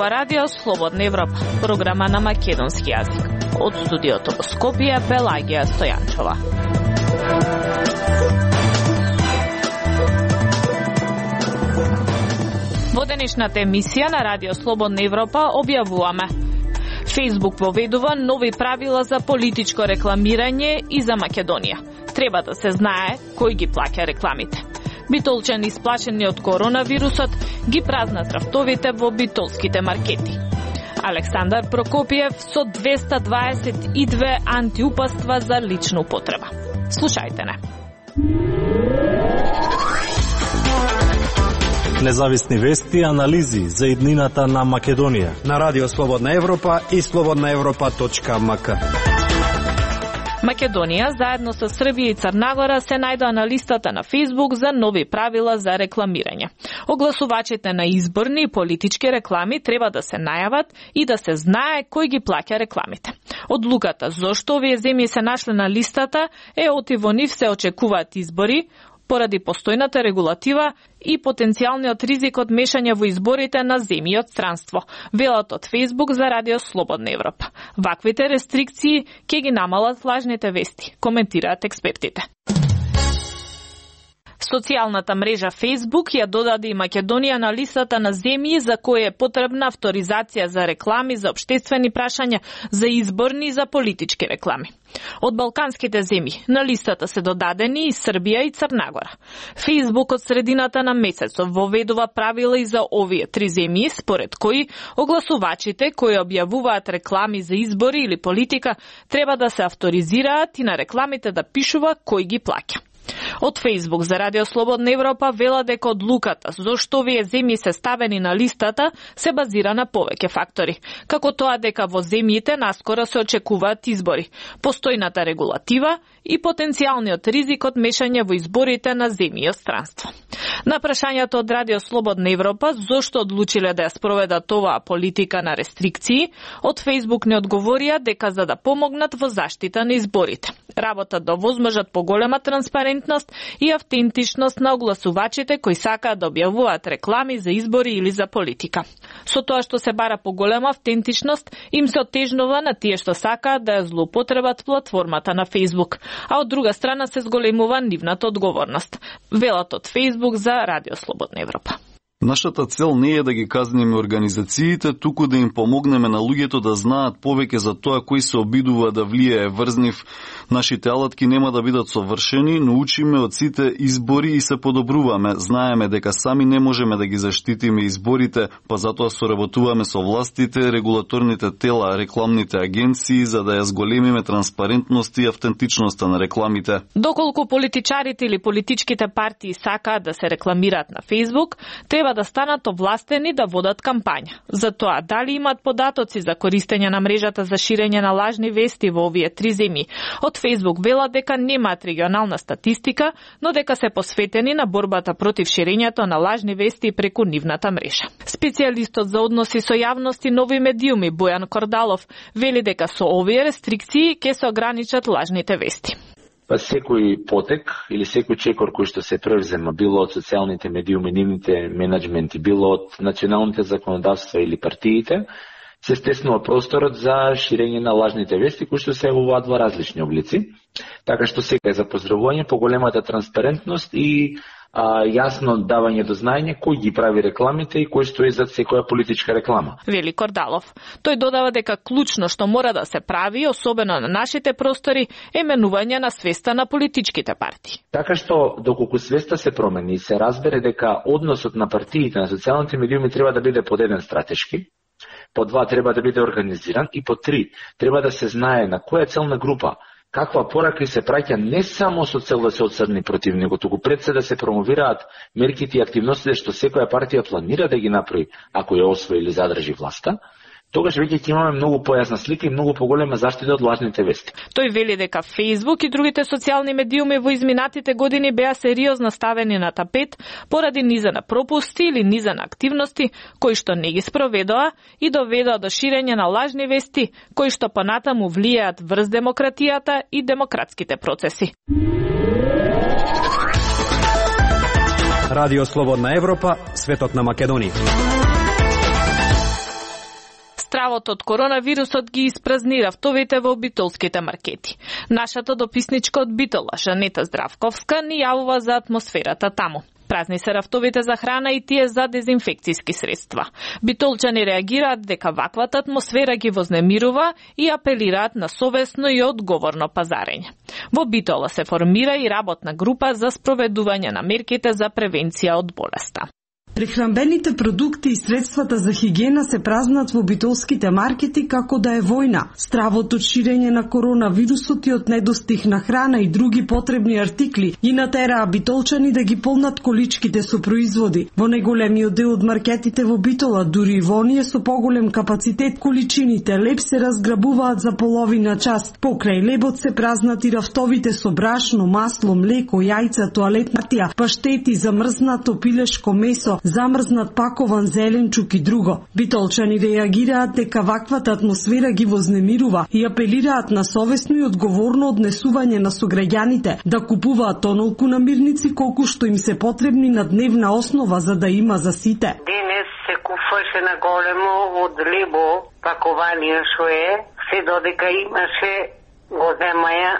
ова радио Слободна Европа, програма на македонски јазик. Од студиото во Скопје, Пелагија Стојанчова. Во денешната емисија на радио Слободна Европа објавуваме: Facebook воведува нови правила за политичко рекламирање и за Македонија. Треба да се знае кој ги плаќа рекламите. Битолчани исплашени од коронавирусот ги празнат рафтовите во битолските маркети. Александар Прокопиев со 222 антиупаства за лична употреба. Слушајте не. Независни вести и анализи за иднината на Македонија на радио Слободна Европа и slobodnaevropa.mk. Македонија, заедно со Србија и Црна се најдоа на листата на Facebook за нови правила за рекламирање. Огласувачите на изборни и политички реклами треба да се најават и да се знае кој ги плаќа рекламите. Одлуката зошто овие земји се нашле на листата е оти во нив се очекуваат избори, поради постојната регулатива и потенцијалниот ризик од мешање во изборите на земји од странство, велат од Facebook за радио Слободна Европа. Ваквите рестрикции ќе ги намалат лажните вести, коментираат експертите. Социјалната мрежа Facebook ја додаде и Македонија на листата на земји за кои е потребна авторизација за реклами за општествени прашања, за изборни и за политички реклами. Од балканските земји на листата се додадени и Србија и Црна Гора. Facebook од средината на месецот воведува правила и за овие три земји, според кои огласувачите кои објавуваат реклами за избори или политика треба да се авторизираат и на рекламите да пишува кој ги плаќа. Од Facebook за радио Слободна Европа вела дека одлуката зошто овие земји се ставени на листата се базира на повеќе фактори, како тоа дека во земјите наскоро се очекуваат избори, постојната регулатива и потенцијалниот ризик од мешање во изборите на земји од странство. На прашањето од радио Слободна Европа зошто одлучиле да ја спроведат оваа политика на рестрикции, од Facebook не одговорија дека за да помогнат во заштита на изборите. Работат да возможат поголема транспарентност и автентичност на огласувачите кои сакаат да објавуваат реклами за избори или за политика. Со тоа што се бара поголема автентичност, им се отежнува на тие што сакаат да ја злоупотребат платформата на Facebook, а од друга страна се зголемува нивната одговорност. Велат од Facebook за радио Слободна Европа. Нашата цел не е да ги казниме организациите, туку да им помогнеме на луѓето да знаат повеќе за тоа кој се обидува да влијае врз нив. Нашите алатки нема да бидат совршени, но учиме од сите избори и се подобруваме. Знаеме дека сами не можеме да ги заштитиме изборите, па затоа соработуваме со властите, регулаторните тела, рекламните агенции, за да ја зголемиме транспарентност и автентичноста на рекламите. Доколку политичарите или политичките партии сакаат да се рекламираат на Facebook, треба да станат овластени да водат кампања. За тоа, дали имаат податоци за користење на мрежата за ширење на лажни вести во овие три земји. Од Facebook велат дека немаат регионална статистика, но дека се посветени на борбата против ширењето на лажни вести преку нивната мрежа. Специјалистот за односи со јавност и нови медиуми Бојан Кордалов вели дека со овие рестрикции ќе се ограничат лажните вести. Па секој потек или секој чекор кој што се превзема, било од социјалните медиуми, нивните менеджменти, било од националните законодавства или партиите, се стеснува просторот за ширење на лажните вести кои што се явуваат во различни облици. Така што сега е за поздравување поголемата транспарентност и јасно давање до знаење кој ги прави рекламите и кој стои зад секоја политичка реклама. Вели Кордалов. Тој додава дека клучно што мора да се прави, особено на нашите простори, е менување на свеста на политичките партии. Така што доколку свеста се промени и се разбере дека односот на партиите на социјалните медиуми треба да биде под еден стратешки, по два треба да биде организиран и по три треба да се знае на која целна група каква порака се праќа не само со цел да се отсрни против него, туку пред се да се промовираат мерките и активностите што секоја партија планира да ги направи ако ја освои или задржи власта, тогаш веќе ќе имаме многу појасна слика и многу поголема заштита од лажните вести. Тој вели дека Facebook и другите социјални медиуми во изминатите години беа сериозно ставени на тапет поради низа на пропусти или низа на активности кои што не ги спроведоа и доведоа до ширење на лажни вести кои што понатаму влијаат врз демократијата и демократските процеси. Радио Слободна Европа, светот на Македонија. Стравот од коронавирусот ги испразни рафтовите во битолските маркети. Нашата дописничка од Битола, Жанета Здравковска, ни јавува за атмосферата таму. Празни се рафтовите за храна и тие за дезинфекцијски средства. Битолчани реагираат дека ваквата атмосфера ги вознемирува и апелираат на совесно и одговорно пазарење. Во Битола се формира и работна група за спроведување на мерките за превенција од болеста. Прехранбените продукти и средствата за хигиена се празнат во битолските маркети како да е војна. Стравот од ширење на коронавирусот и од недостиг на храна и други потребни артикли ги натераа битолчани да ги полнат количките со производи. Во неголемиот дел од маркетите во Битола, дури и во оние со поголем капацитет, количините леб се разграбуваат за половина час. Покрај лебот се празнат и рафтовите со брашно, масло, млеко, јајца, тоалетна хартија, паштети, замрзнато пилешко месо, замрзнат пакован зеленчук и друго. Битолчани реагираат дека ваквата атмосфера ги вознемирува и апелираат на совесно и одговорно однесување на сограѓаните да купуваат онолку намирници колку што им се потребни на дневна основа за да има за сите. Денес се купуваше на големо од лебо пакованија што е, се додека имаше го земаја,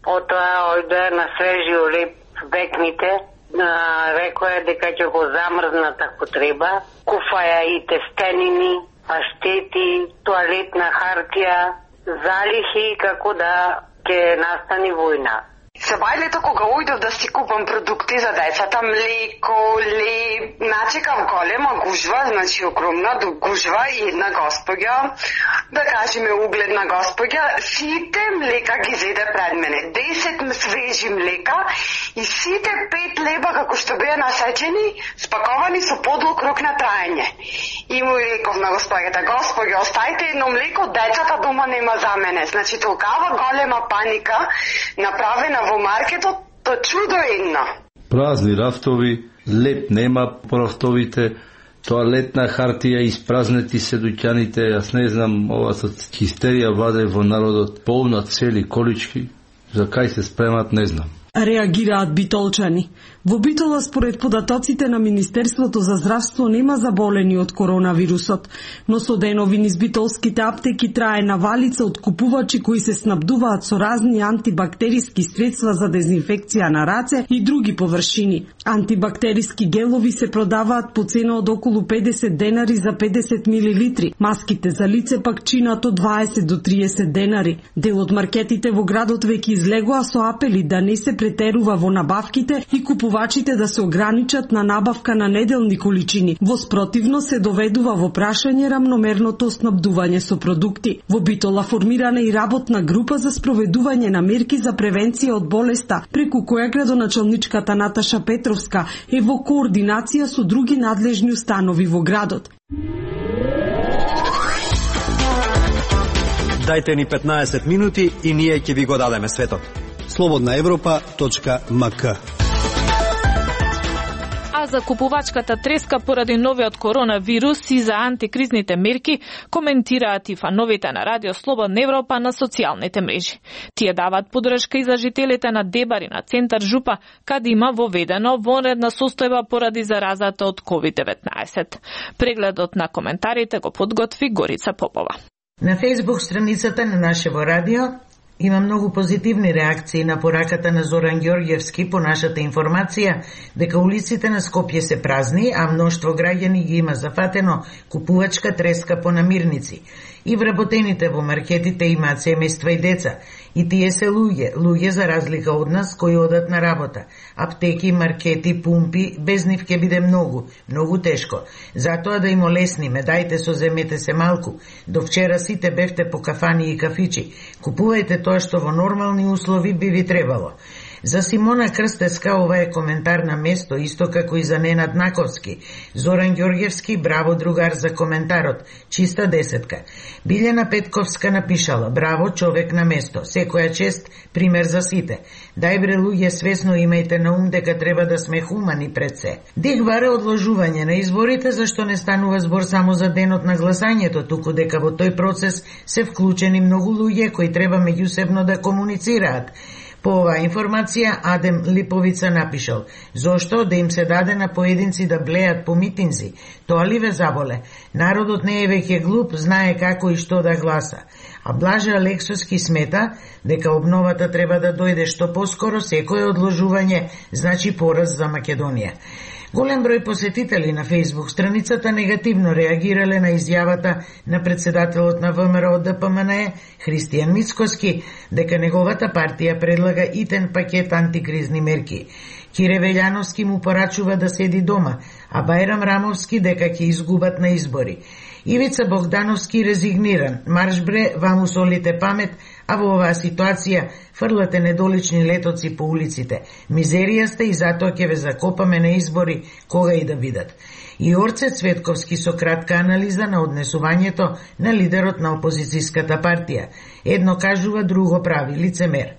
потоа ојде на свежио леб векните. Рекоја дека ќе го замрзнат ако треба. Куфаја и тестенини, паштети, тоалетна хартија, залихи како да ќе настани војна. За бајлето кога ојдов да си купам продукти за децата, млеко, леб, начекав голема гужва, значи огромна гужва и една господја, да кажеме угледна господја, сите млека ги зеде пред мене. 10 свежи млека и сите 5 леба како што беа насечени, спаковани со подлог рок на траење. И му реков на господјата, господја, оставите едно млеко, децата дома нема за мене. Значи толкава голема паника направена во маркетот, то чудо едно. Празни рафтови, леп нема по рафтовите, тоалетна хартија, испразнети се дуќаните, јас не знам, ова со хистерија владе во народот, полна цели колички, за кај се спремат не знам. Реагираат битолчани. Во Битола, според податоците на Министерството за здравство, нема заболени од коронавирусот, но со денови низ битолските аптеки трае навалица од купувачи кои се снабдуваат со разни антибактериски средства за дезинфекција на раце и други површини. Антибактериски гелови се продаваат по цена од околу 50 денари за 50 милилитри. Маските за лице пак чинат од 20 до 30 денари. Дел од маркетите во градот веќе излегоа со апели да не се претерува во набавките и купувачите да се ограничат на набавка на неделни количини. Во спротивно се доведува во прашање рамномерното снабдување со продукти. Во Битола формирана и работна група за спроведување на мерки за превенција од болеста, преку која градоначалничката Наташа Петровска е во координација со други надлежни установи во градот. Дајте ни 15 минути и ние ќе ви го дадеме светот. slobodnaevropa.mk. А за купувачката треска поради новиот коронавирус и за антикризните мерки коментираат и фановите на Радио Слободна Европа на социјалните мрежи. Тие даваат подршка и за жителите на Дебари на центар Жупа, каде има воведено вонредна состојба поради заразата од COVID-19. Прегледот на коментарите го подготви Горица Попова. На Facebook страницата на нашево радио има многу позитивни реакции на пораката на Зоран Ѓорѓевски по нашата информација дека улиците на Скопје се празни, а мноштво граѓани ги има зафатено купувачка треска по намирници. И вработените во маркетите имаат семејства и деца. И тие се луѓе за разлика од нас кои одат на работа. Аптеки, маркети, пумпи, без нив ќе биде многу тешко. Затоа да им олесниме, дајте соземете се малку. До вчера сите бевте по кафани и кафичи. Купувајте тоа што во нормални услови би ви требало. За Симона Крстеска ова е коментар на место, исто како и за Ненад Наковски. Зоран Ѓорѓевски, браво другар за коментарот, чиста десетка. Билјана Петковска напишала, браво човек на место, секоја чест, пример за сите. Дај бре луѓе, свесно имајте на ум дека треба да сме хумани пред се. Диг баре одложување на изборите, зашто не станува збор само за денот на гласањето, туку дека во тој процес се вклучени многу луѓе кои треба меѓусебно да комуницираат. По оваа информација Адем Липовица напишал: зошто да им се даде на поединци да блеат по митинзи? Тоа ли ве заболе? Народот не е веќе глуп, знае како и што да гласа. А Блаже Алексовски смета дека обновата треба да дојде што поскоро, секое одложување значи пораз за Македонија. Голем број посетители на Facebook страницата негативно реагирале на изјавата на председателот на ВМРО ДПМНЕ Христијан Мицкоски дека неговата партија предлага итен пакет антикризни мерки. Кире Велјановски му порачува да седи дома, а Бајрам Рамовски дека ќе изгубат на избори. Ивица Богдановски резигниран: марш бре, ваму солите памет, а во оваа ситуација фрлате недолични летоци по улиците. Мизерија сте и затоа ќе ве закопаме на избори кога и да бидат. И Орце Цветковски со кратка анализа на однесувањето на лидерот на опозицијската партија. Едно кажува, друго прави, лицемер.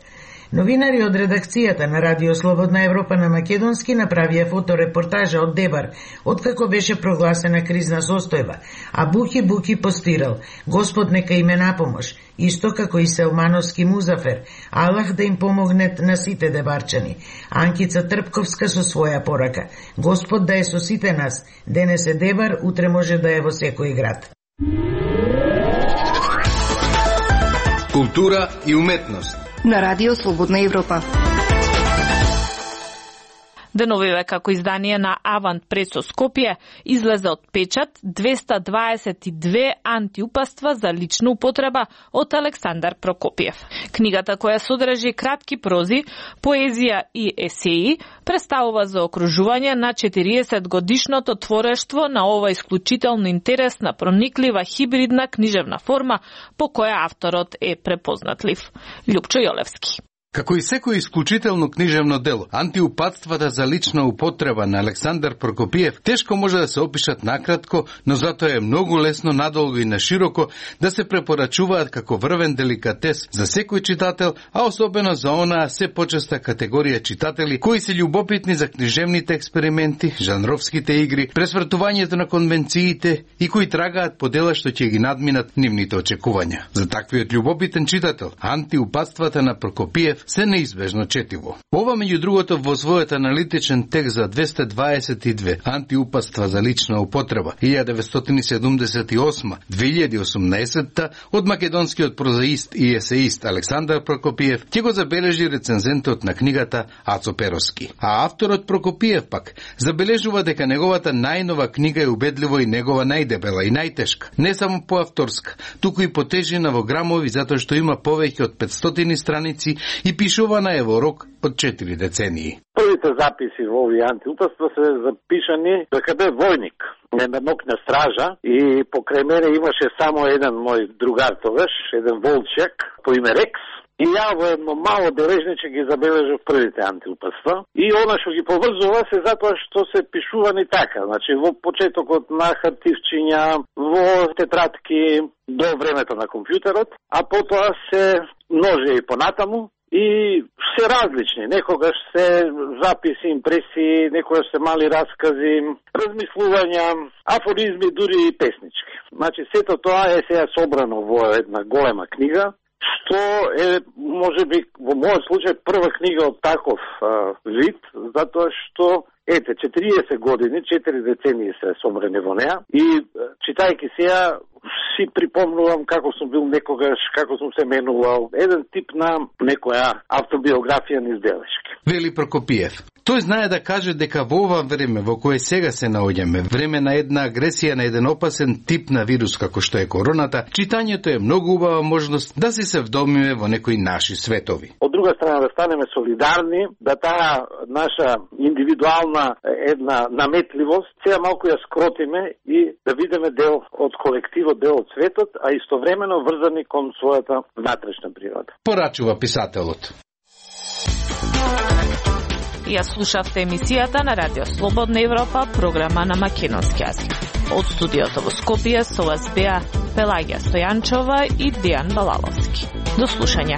Новинари од редакцијата на Радио Слободна Европа на македонски направија фоторепортажа од Дебар, откако беше прогласена кризна состојба, а Буки постирал: Господ нека име напомош, исто како и Селмановски Музафер, Аллах да им помогнет на сите дебарчани. Анкица Трпковска со своја порака: Господ да е со сите нас, денес е Дебар, утре може да е во секој град. Култура и уметност на Радио Слободна Европа. Деновиве како издание на Авант Прес со Скопје излезе од печат 222 антиупаства за лична употреба од Александар Прокопиев. Книгата, која содржи кратки прози, поезија и есеи, представува заокружување на 40 годишното творештво на ова исклучително интересна, прониклива, хибридна книжевна форма по која авторот е препознатлив. Љупчо Јолевски. Како и секој исклучително книжевно дело, антиупатствата за лична употреба на Александар Прокопиев тешко може да се опишат накратко, но затоа е многу лесно надолго и нашироко да се препорачуваат како врвен деликатес за секој читател, а особено за онаа се почеста категорија читатели кои се љубопитни за книжевните експерименти, жанровските игри, пресвртувањето на конвенциите и кои трагаат по дела што ќе ги надминат нивните очекувања. За таквиот љубопитен читател, антиупатствата на Прокопиев се неизбежно четиво. Ова, меѓу другото, во својот аналитичен текст за 222 антиупатства за лична употреба 1978-2018 од македонскиот прозаист и есеист Александар Прокопиев ќе го забележи рецензентот на книгата Ацо Перовски. А авторот Прокопиев пак забележува дека неговата најнова книга е убедливо и негова најдебела и најтешка. Не само по авторска, туку и по тежина во грамови, затоа што има повеќе од 500 страници и пишувана е во рок од 4 децении. Првите записи во овие антиупатства се запишани дека бе војник на нокна стража и покрај мене имаше само еден мој другар тогаш, еден волчек по име Рекс. И ја во едно мало бележниче ги забележав првите антиупатства. И она што ги поврзува се затоа што се пишувани така. Значи во почетокот на хартивчиња, во тетрадки до времето на компјутерот, а потоа се множе и понатаму. И се различни, некогаш се записи, импресии, некогаш се мали раскази, размислувања, афоризми, дури и песнички. Значи сето тоа е сега собрано во една голема книга, што е, можеби, во мојот случај, прва книга од таков вид, затоа што, ете, 40 години, 4 децении се собрани во неа и читајќи сега, си припомнувам како сум бил некогаш, како сум се менувал, еден тип на некоја автобиографија низ белешки. Вели Прокопиев. Тој знае да каже дека во ова време во кое сега се наоѓаме, време на една агресија на еден опасен тип на вирус како што е короната, читањето е многу убава можност да се вдомиме во некои наши светови. Од друга страна да станеме солидарни, да таа наша индивидуална една наметливост сега малку ја скротиме и да видиме дел од колективот, дел од светот, а истовремено врзани кон својата внатрешна природа. Порачува писателот. Ја слушавте емисијата на Радио Слободна Европа, програма на македонски јазик. Од студиото во Скопје со вас беа Пелагија Стојанчова и Дејан Балаловски. До слушање.